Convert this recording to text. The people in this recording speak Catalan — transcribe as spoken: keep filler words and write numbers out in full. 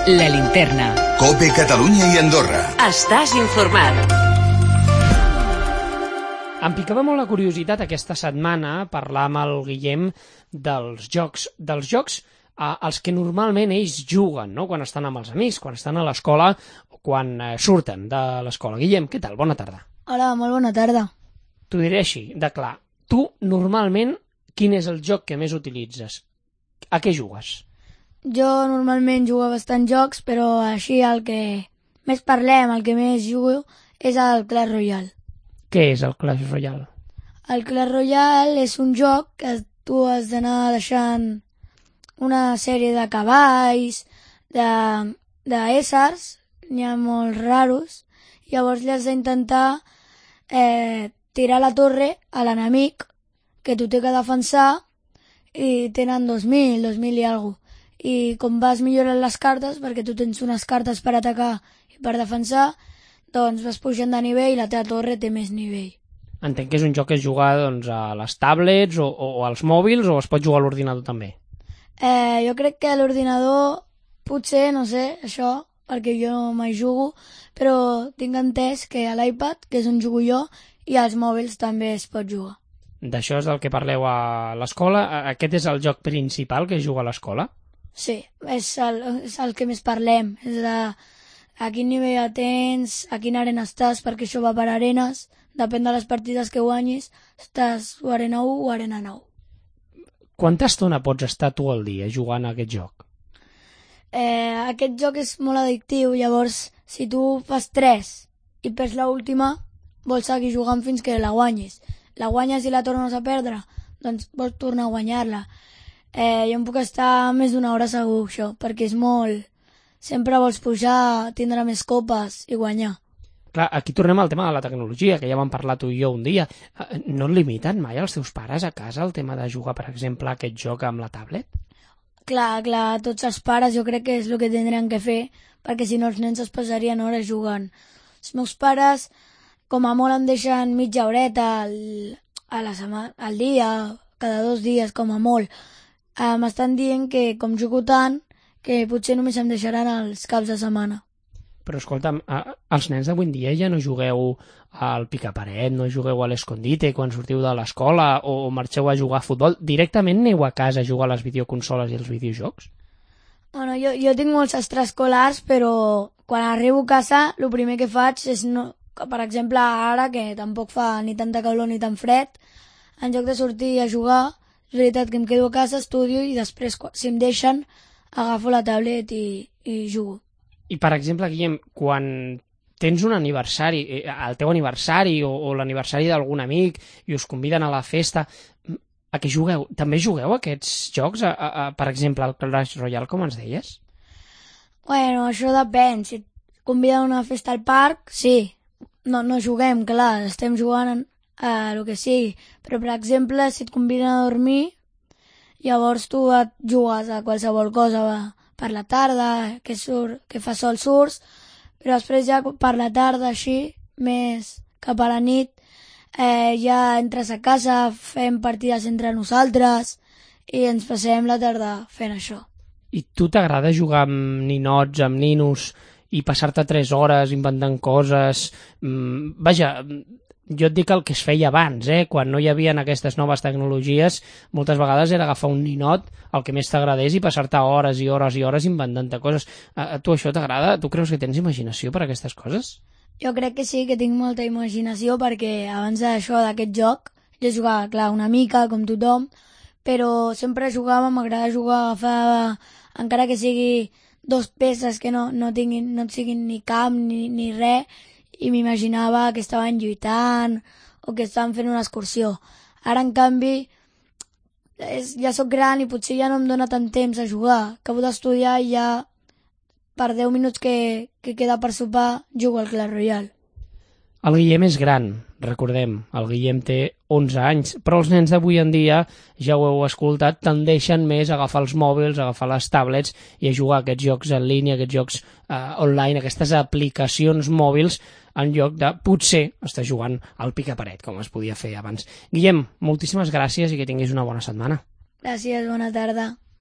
La Linterna. COPE Catalunya i Andorra. Estàs informat. Em picava molt la curiositat aquesta setmana parlar amb el Guillem dels jocs, dels jocs eh, als que normalment ells juguen, no? Quan estan amb els amics, quan estan a l'escola o quan eh, surten de l'escola. Guillem, què tal? Bona tarda. Hola, molt bona tarda. T'ho diré així, de clar. Tu, normalment, quin és el joc que més utilitzes? A què jugues? Jo normalment jugo a bastants jocs, però així el que més parlem, el que més jugo, és el Clash Royale. Què és el Clash Royale? El Clash Royale és un joc que tu has d'anar deixant una sèrie de cavalls, de, de éssers, n'hi ha molts raros, llavors li has d'intentar eh, tirar la torre a l'enemic, que tu té que defensar, i tenen dos mil, dos mil i alguna cosa. I com vas millorant les cartes, perquè tu tens unes cartes per atacar i per defensar, doncs vas pujant de nivell i la teva torre té més nivell. Entenc que és un joc que es juga doncs, a les tablets o, o, o als mòbils, o es pot jugar a l'ordinador també? Eh, jo crec que a l'ordinador potser, no sé, això, perquè jo no mai jugo, però tinc entès que a l'iPad, que és on jugo jo, i als mòbils també es pot jugar. D'això és del que parleu a l'escola? Aquest és el joc principal que es juga a l'escola? Sí, és el, és el que més parlem, és de a quin nivell tens, a quina arena estàs, perquè això va per arenes, depèn de les partides que guanyis, estàs o arena u o arena nou. Quanta estona pots estar tu al dia jugant a aquest joc? Eh, aquest joc és molt addictiu, llavors si tu fas tres i perds l'última, vols seguir jugant fins que la guanyis. La guanyes i la tornes a perdre, doncs vols tornar a guanyar-la. Eh, jo em puc estar més d'una hora segur, això, perquè és molt... Sempre vols pujar, tindre més copes i guanyar. Clar, aquí tornem al tema de la tecnologia, que ja vam parlar tu i jo un dia. No et limiten mai els teus pares a casa el tema de jugar, per exemple, a aquest joc amb la tablet? Clar, clar, tots els pares jo crec que és el que tindrien que fer, perquè si no els nens es passarien hores jugant. Els meus pares, com a molt, em deixen mitja horeta al, a la setmana, al dia, cada dos dies, com a molt. Eh, m'estan dient que, com jugo tant, que potser només em deixaran els caps de setmana. Però escolta'm, els nens d'avui en dia ja no jugueu al picaparet, no jugueu a l'escondite quan sortiu de l'escola o marxeu a jugar a futbol. Directament aneu a casa a jugar a les videoconsoles i els videojocs? Bueno, jo, jo tinc molts extraescolars, però quan arribo a casa el primer que faig és, no, per exemple, ara que tampoc fa ni tanta calor ni tan fred, en lloc de sortir a jugar, és veritat que em quedo a casa, estudio i després, si em deixen, agafo la tablet i, i jugo. I, per exemple, Guillem, quan tens un aniversari, el teu aniversari o, o l'aniversari d'algun amic i us conviden a la festa, a què jugueu? També jugueu aquests jocs? A, a, a, per exemple, el Clash Royale, com ens deies? Bueno, això depèn. Si et conviden a una festa al parc, sí. No, no juguem, clar, estem jugant a el que sigui. Però, per exemple, si et conviden a dormir, llavors tu et jugues a qualsevol cosa per la tarda, que, surt, que fa sol surts, però després ja per la tarda així, més cap a la nit, eh, ja entres a casa, fem partides entre nosaltres i ens passem la tarda fent això. I tu t'agrada jugar amb ninots, amb ninos, i passar-te tres hores inventant coses? Mm, vaja... Jo et dic el que es feia abans, eh? Quan no hi havia aquestes noves tecnologies, moltes vegades era agafar un ninot, el que més t'agradés, i passar-te hores i hores i hores inventant-te coses. A, a tu això t'agrada? Tu creus que tens imaginació per a aquestes coses? Jo crec que sí, que tinc molta imaginació, perquè abans d'això, d'aquest joc, jo jugava, clar, una mica, com tothom, però sempre jugava, m'agrada jugar, agafar, encara que sigui dos peces que no, no, tinguin, no siguin ni camp ni, ni res, i m'imaginava que estaven lluitant o que estaven fent una excursió. Ara, en canvi, és, ja sóc gran i potser ja no em dóna tant temps a jugar. Acabo d'estudiar i ja per deu minuts que, que queda per sopar jugo al Clash Royale. El Guillem és gran, recordem, el Guillem té onze anys, però els nens d'avui en dia, ja ho heu escoltat, tendeixen més a agafar els mòbils, a agafar les tablets i a jugar a aquests jocs en línia, aquests jocs eh, online, aquestes aplicacions mòbils, en lloc de potser estar jugant al picaparet, com es podia fer abans. Guillem, moltíssimes gràcies i que tinguis una bona setmana. Gràcies, bona tarda.